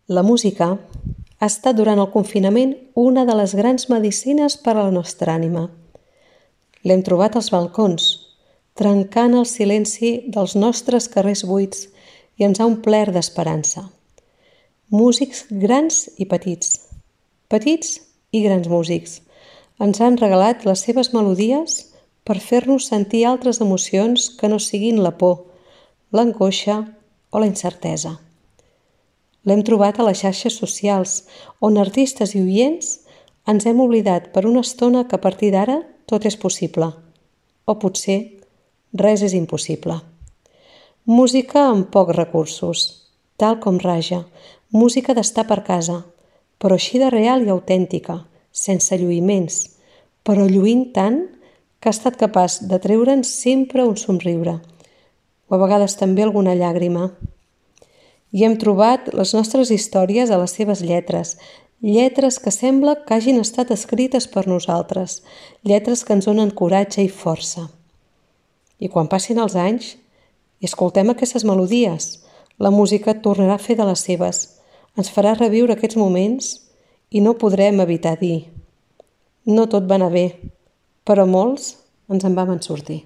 La música ha estat durant el confinament una de les grans medicines per a la nostra ànima. L'hem trobat als balcons, trencant el silenci dels nostres carrers buits i ens ha omplert d'esperança. Músics grans i petits i grans músics, ens han regalat les seves melodies per fer-nos sentir altres emocions que no siguin la por, l'angoixa o la incertesa. L'hem trobat a les xarxes socials, on artistes i oients ens hem oblidat per una estona que a partir d'ara tot és possible. O potser res és impossible. Música amb pocs recursos, tal com Raja, música d'estar per casa, però així de real i autèntica, sense lluïments, però lluint tant que ha estat capaç de treure'ns sempre un somriure, o a vegades també alguna llàgrima. I hem trobat les nostres històries a les seves lletres, lletres que sembla que hagin estat escrites per nosaltres, lletres que ens donen coratge i força. I quan passin els anys i escoltem aquestes melodies, la música tornarà a fer de les seves, ens farà reviure aquests moments i no podrem evitar dir: no tot va anar bé, però molts ens en vam sortir.